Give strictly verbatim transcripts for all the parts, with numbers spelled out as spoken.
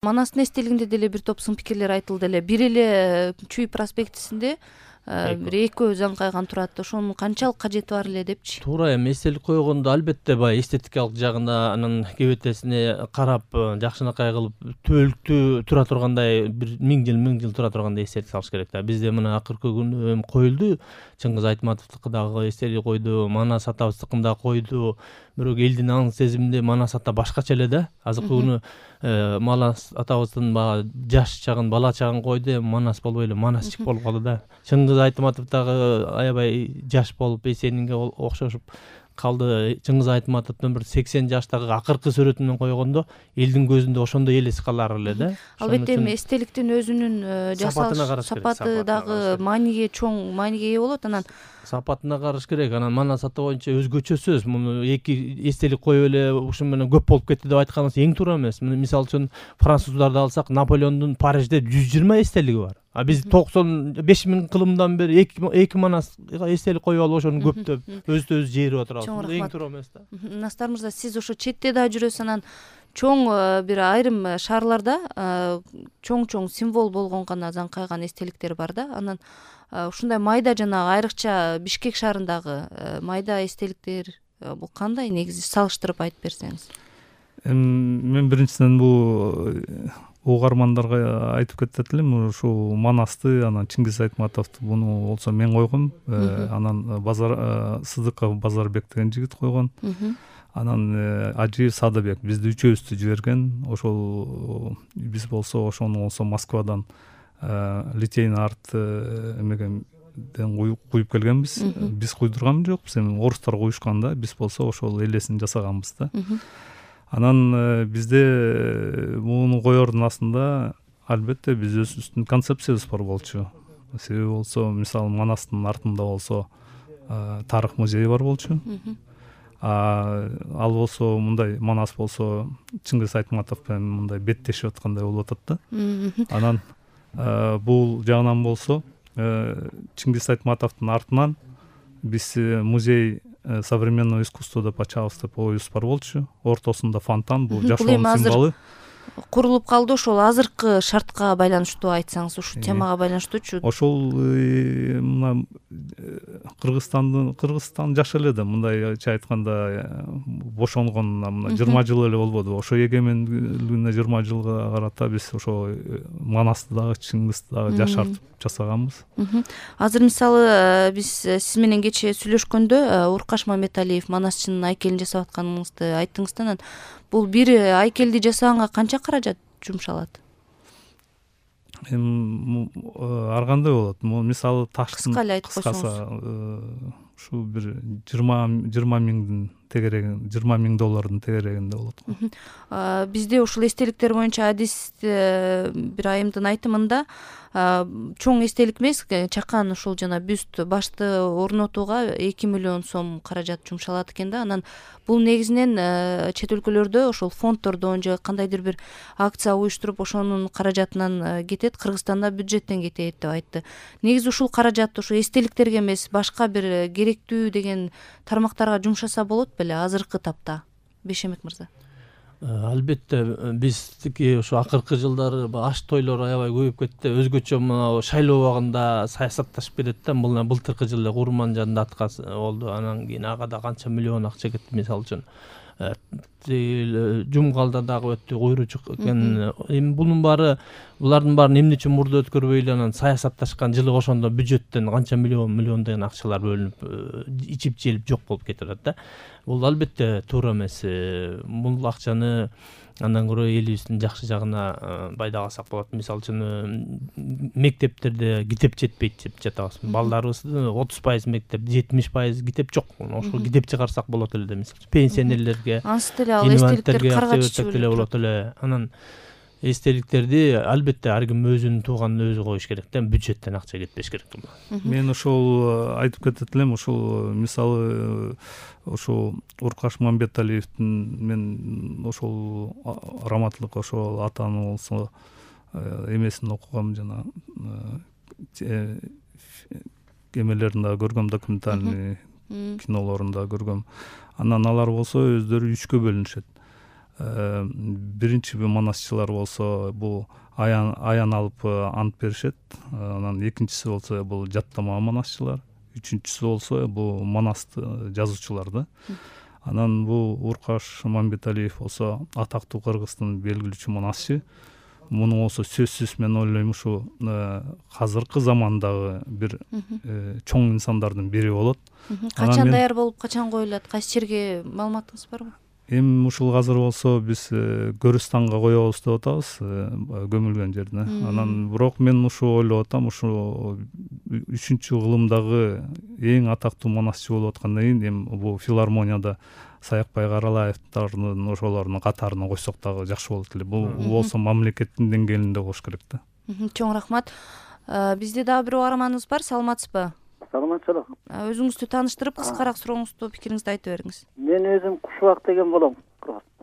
Манастын эстелигинде деле бир топ сын пикирлер айтылды эле. Бир эле Чүй проспектисинде бир экөө заңкайган турат. Ошонун канчалык кажети бар эле депчи. Туура эми эстелик койгондо албетте баягы эстетикалык жагына, анын кебетесине карап, жакшынакай кылып түбөлүктүү тура тургандай, бир миң жыл миң жыл тура тургандай эстелик салыш керек да. Бизде мына акыркы күнү эми коюлду. Чыңгыз Айтматовдуку дагы эстелик койду, Манас атабыздыкын да койду. Бирок элдин аң сезиминде Манас ата башкача эле да. Азыркы күнү Манас атабыздын баягы жаш чагын, бала чагын койду, Манас болбой эле Манасчик болуп калды да. Чыңгыз Айтматов дагы аябай жаш болуп, Эсенинге окшошуп калды. Чыңгыз Айтматовдун бир сексен жаштагы акыркы сүрөтүнөн койгондо элдин көзүндө ошондой элес калар эле да. Албетте эми эстеликтин өзүнүн жасалыш сапаты дагы мааниге чоң мааниге ээ болот. Анан сапатына караш керек. Анан Манас ата боюнча өзгөчө сөз. Муну эки эстелик коюп эле ушун менен көп болуп кетти деп айтканыбыз эң туура эмес. Мисалы үчүн француздарды алсак, Наполеондун Парижде жүз жыйырма эстелиги бар. А биз токсон беш миң кылымдан бери эки Манас эстелик коюп алып ошону көптөп өзүбүз жээрип отурабыз. Эң туура эмес да. Настар мырза, сиз ошо четте да жүрөсүз, анан чоң бир айрым шаарларда чоң-чоң символ болгон гана заңкайган эстеликтер бар да. Анан ушундай майда жанагы айрыкча Бишкек шаарындагы майда эстеликтер бул кандай, негизи салыштырып айтып берсеңиз? Эми мен биринчиден бул угармандарга айтып кетет элем, ушул Манасты, анан Чыңгыз Айтматовду буну болсо мен койгом, анан Базар Сыдыков Базарбек деген жигит койгон. Анан Ажиев Садыбек бизди үчөөбүздү жиберген. Ошол биз болсо ошону болсо Москвадан литейный арт эмеген куюп келгенбиз. Биз куйдурган жокпуз, эми орустар куюшкан да, биз болсо ошол элесин жасаганбыз да. Анан бизде муну коердун астында албетте биз өзүбүздүн концепциябыз бар болчу. Себеби болсо, мисалы Манастын артында болсо тарых музейи бар болчу. Ал болсо мындай, Манас болсо Чыңгыз Айтматов менен мындай беттешип аткандай болуп атат да. Анан бул жагынан болсо Чыңгыз Айтматовдун артынан биз музей современного искусства деп ачабыз деп оюбуз бар болчу. Ортосунда фонтан, бул жашоонун символу. Курулуп калды, ошол азыркы шартка байланыштуу айтсаңыз, ушул темага байланыштуучу. Ошол мына Кыргызстандын Кыргызстан жаш эле да, мындайча айтканда бошонгон мына жыйырма жыл эле болбоду. Ошо эгемендүүлүгүнө жыйырма жылга карата биз ошо Манасты дагы, Чыңгызды дагы жашартып жасаганбыз. Азыр мисалы биз сиз менен кечээ сүйлөшкөндө Уркаш Маметалиев Манасчынын айкелин жасап атканыңызды айттыңыз да. Анан бул бир айкелди жасаганга канча каражат жумшалат? Эми ар кандай болот. Мисалы таштын кыска эле айтып койсоңуз. Ушу бир жыйырма миңдин тегерегин, жыйырма миң доллардын тегерегинде болот го. Бизде ушул эстеликтер боюнча адис бир айымдын айтымында чоң эстелик эмес, чакан ушул жана бюст башты орнотууга эки миллион сом каражат жумшалат экен да. Анан бул негизинен чет өлкөлөрдө ошол фонддордон же кандайдыр бир акция уюштуруп ошонун каражатынан кетет, Кыргызстанда бюджеттен кетет деп айтты. Негизи ушул каражат ушу эстеликтерге эмес, башка бир керектүү деген тармактарга жумшаса болот беле азыркы тапта? Бейшемет мырза. Албетте биздики ушу акыркы жылдары аш тойлор аябай көбөйүп кетти. Өзгөчө мына шайлоо убагында саясатташып кетет да. Бул былтыркы жылы Курман жанында аткасы болду. Анан кийин ага да канча миллион акча кетти, мисалы үчүн. Жумгалда дагы өттү, куйручук экен. Эми бунун баары, булардын баарын эмне үчүн мурда өткөрбөй эле анан саясатташкан, жылы ошондо бюджеттен канча миллион миллион деген акчалар бөлүнүп, ичип желип жок болуп кетип атат да. Бул албетте туура эмес. Бул акчаны андан көрө элибиздин жакшы жагына пайдалагасак болот. Мисалы үчүн мектептерде китеп жетпейт деп жатабыз. Балдарыбыздын отуз пайыз мектеп, жетимиш пайыз китеп жок. Ошол китеп чыгарсак болот эле, мисалы. Пенсионерлерге, эстеликтерге каргатып эле болот эле. Анан эстеликтерди албетте ар ким өзүнүн тууганын өзү коюш керек да, бюджеттен акча кетпеш керек. Мен ошол айтып кетет элем, ошол мисалы ошол Уркаш Мамбеталиевдин, мен ошол раматлык ошол атаны болсо эмесин окугам, жана эмелерин да көргөм, документальный кинолорун да көргөм. Анан алар болсо өздөрү үчкө бөлүнүшөт. биринчи манасчылар болсо бул аян аян алып ант беришет. Анан экинчиси болсо бул жаттама манасчылар, үчүнчүсү болсо бул манасты жазуучулар да. Анан бул Уркаш Мамбеталиев болсо атактуу Кыргыздын белгилүүчү манасчы. Муну болсо сөзсүз мен ойлойм ушу азыркы замандагы бир чоң инсандардын бири болот. Качан даяр болуп, качан коюлат? Кайсы жерге маалыматыңыз барбы? Эми ушул азыр болсо биз Көрүстанга коебуз деп атабыз, көмүлгөн жерине. Анан бирок мен ушу ойлоп атам, ушу үчүнчү кылымдагы эң атактуу манасчы болуп аткандан кийин эми бул филармонияда Саякбай Каралаевдардын ошолордун катарына койсок дагы жакшы болот эле. Бул болсо мамлекеттин деңгээлинде болуш керек да. Чоң рахмат. Бизде дагы бир угарманыбыз бар, саламатсызбы? Саламатчылык. Өзүңүздү тааныштырып, кыскараак сурооңузду, пикириңизди айтып бериңиз. Мен өзүм Кушубак деген болом.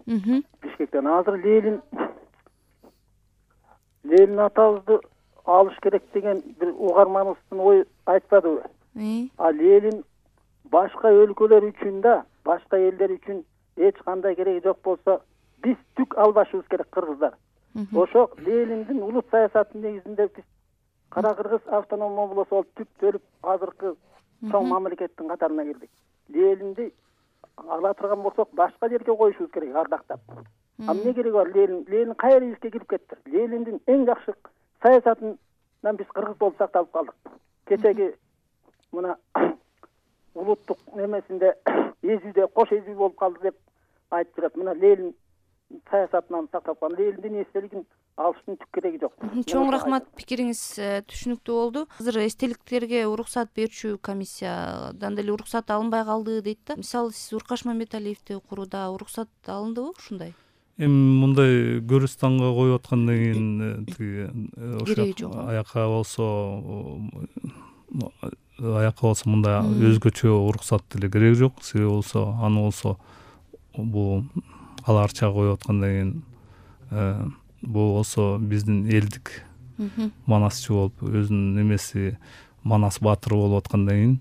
Бишкектен азыр Ленин Ленин атабызды алыш керек деген бир угарманыбыздын ой айтпадыбы? А Ленин башка өлкөлөр үчүн да, башка элдер үчүн эч кандай кереги жок болсо, биз түк албашыбыз керек кыргыздар. Ошо Лениндин улут саясатынын негизинде биз Кара Кыргыз автономия облусу болуп түп төлүп азыркы чоң мамлекеттин катарына кирдик. Ленинди ала турган болсок, башка жерге коюшубуз керек, ардактап. А эмне кереги бар? Ленин, Ленин кайра ишке кирип кетти. Лениндин эң жакшы саясатынан биз кыргыз болуп сакталып калдык. Кечеги мына улуттук немесинде эзүүдө кош эзүү болуп калды деп айтып турат. Мына Ленин саясатынан сактап калган. Лениндин эстелигин алыштын түк кереги жок. Чоң рахмат, пикириңиз түшүнүктүү болду. Азыр эстеликтерге уруксат берүүчү комиссиядан деле уруксат алынбай калды дейт да. Мисалы сиз Уркаш Мамбеталиевди курууда уруксат алындыбы ушундай? Эми мындай Көрүстанга коюп аткандан кийин тиги аяка болсо аяка болсо мындай өзгөчө уруксат деле кереги жок. Себеби болсо аны болсо бул аларча коюп аткандан кийин бул болсо биздин элдик манасчы болуп өзүнүн немеси Манас баатыр болуп аткандан кийин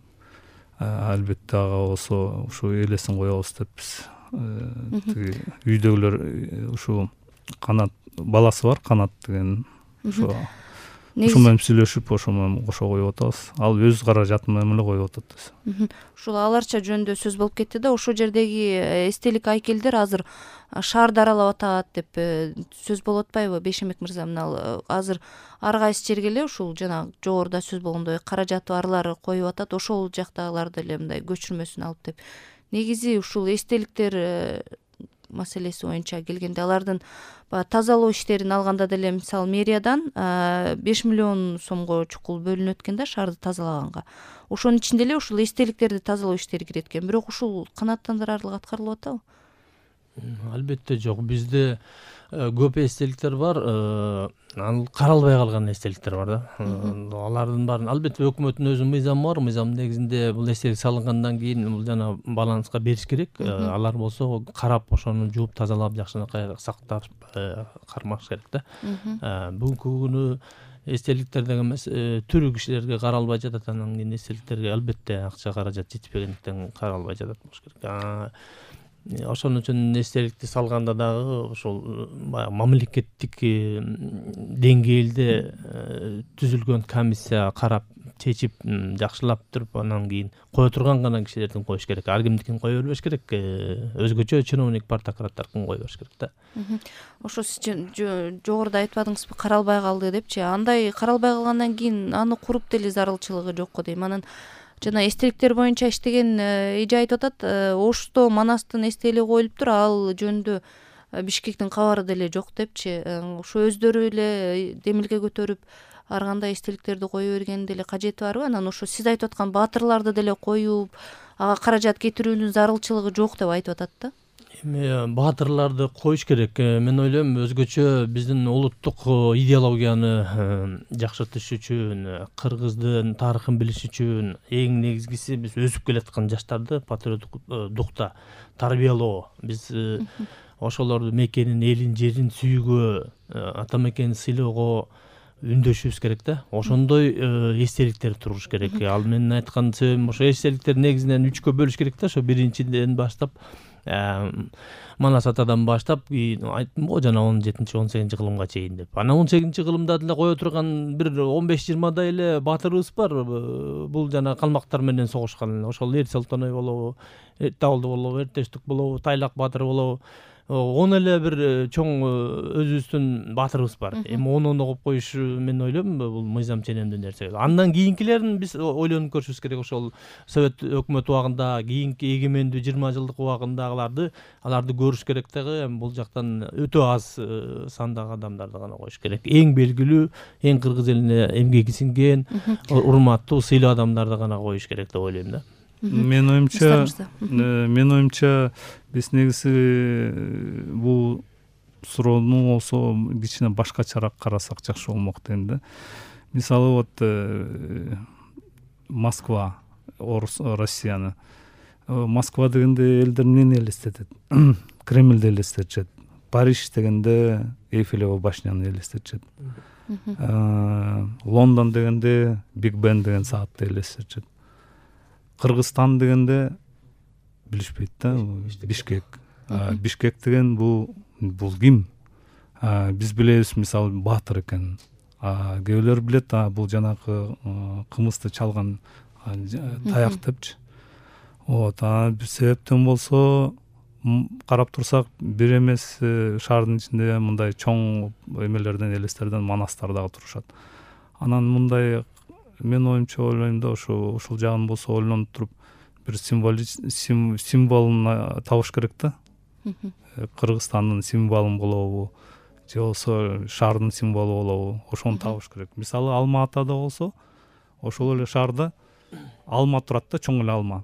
албетте ага болсо ушу элесин коебуз деп биз тиги үйдөгүлөр ушу Канат баласы бар, Канат деген ошо ошо менен сүйлөшүп ошо менен кошо коюп атабыз. Ал өз каражаты менен эле коюп атат. Ушул аларча жөнүндө сөз болуп кетти да, ошол жердеги эстелик айкелдер азыр шаарды аралап атат деп сөз болуп атпайбы Бейшембек мырза? Мына азыр ар кайсы жерге эле ушул жана жогоруда сөз болгондой каражаты барлары коюп атат, ошол жактагыларды эле мындай көчүрмөсүн алып деп. Негизи ушул эстеликтер маселеси боюнча келгенде алардын тазалоо иштерин алганда деле мисалы мэриядан беш миллион сомго чукул бөлүнөт экен да шаарды тазалаганга. Ошонун ичинде эле ушул эстеликтерди тазалоо иштери кирет экен. Бирок ушул канааттандырарлык аткарылып атабы? Албетте жок. Бизде көп эстеликтер бар, анын каралбай калган эстеликтер бар да. Алардын баарын албетте өкмөттүн өзүнүн мыйзамы бар. Мыйзамдын негизинде бул эстелик салынгандан кийин бул жана баланска бериш керек. Алар болсо карап, ошону жууп тазалап, жакшынакай сактап кармаш керек да. Бүгүнкү күнү эстеликтер деген эмес, түрү кишилерге каралбай жатат. Анан кийин эстеликтерге албетте акча каражат жетпегендиктен каралбай жатат болуш керек. Ошон үчүн эстеликти салганда дагы ошол баягы мамлекеттик деңгээлде түзүлгөн комиссия карап, чечип, жакшылап туруп, анан кийин кое турган гана кишилердин коюш керек. Ар кимдикин кое бербеш керек. Өзгөчө чиновник партократтардын кое бериш керек да. Ошо сиз жогоруда айтпадыңызбы, каралбай калды депчи? Андай каралбай калгандан кийин аны куруп деле зарылчылыгы жокко дейм. Анан жана эстеликтер боюнча иштеген эже айтып атат, Ошто Манастын эстелиги коюлуптур, ал жөнүндө Бишкектин кабары деле жок депчи. Ошо өздөрү эле демилге көтөрүп ар кандай эстеликтерди кое берген деле кажети барбы? Анан ошо сиз айтып аткан баатырларды деле коюп, ага каражат кетирүүнүн зарылчылыгы жок деп айтып атат да. Эми баатырларды коюш керек. Мен ойлойм, өзгөчө биздин улуттук идеологияны жакшыртыш үчүн, кыргыздын тарыхын билиш үчүн эң негизгиси биз өсүп келаткан жаштарды патриоттук духта тарбиялоо. Биз ошолорду мекенин, элин, жерин сүйгөө, ата мекенин сыйлоого үндөшүбүз керек да. Ошондой эстеликтер туруш керек. Ал менин айткан себебим ошо эстеликтер негизинен үчкө бөлүш керек да. Ошо биринчиден баштап Манас атадан баштап айттым го жана он жетинчи он сегизинчи кылымга чейин деп. Анан он сегизинчи кылымда деле кое турган бир он беш жыйырмадай эле баатырыбыз бар. Бул жана калмактар менен согушкан. Ошол Эр Солтоной болобу, Табылды болобу, Эртештик болобу, Тайлак баатыр болобу. Он эле бир чоң өзүбүздүн баатырыбыз бар. Эми онуну коюп коюш мен ойлойм бул мыйзам ченемдүү нерсе. Андан кийинкилерин биз ойлонуп көрүшүбүз керек. Ошол Совет өкмөтү убагында, кийинки эгемендүү жыйырма жылдык убагындагыларды аларды көрүш керек дагы. Эми бул жактан өтө аз сандагы адамдарды гана коюш керек. Эң белгилүү, эң кыргыз элине эмгеги сиңген, урматтуу, сыйлуу адамдарды гана коюш керек деп ойлойм да. Мен оюмча, мен оюмча биз негизи бул суроону болсо кичине башкачараак карасак жакшы болмок дейм да. Мисалы вот Москва, Россияны. Москва дегенде элдер эмнени элестетет? Кремльди элестетишет. Париж дегенде Эйфелева башняны элестетишет. Лондон дегенде Биг Бен деген саатты элестетишет. Кыргызстан дегенде билишпейт да, Бишкек. Бишкек деген бул бул ким? Биз билебиз, мисалы, баатыр экен. Кээ бирлер билет, бул жанагы кымызды чалган таяк депчи. Вот, себептен болсо карап турсак бир эмес шаардын ичинде мындай чоң эмелерден, элестерден манастар дагы турушат. Анан мындай мен оюмча ойлойм да, ошо ушул жагын болсо ойлонуп туруп бир символун табыш керек да. Кыргызстандын символун болобу, же болбосо шаардын символу болобу, ошону табыш керек. Мисалы, Алма Атада болсо, ошол эле шаарда алма турат да, чоң эле алма.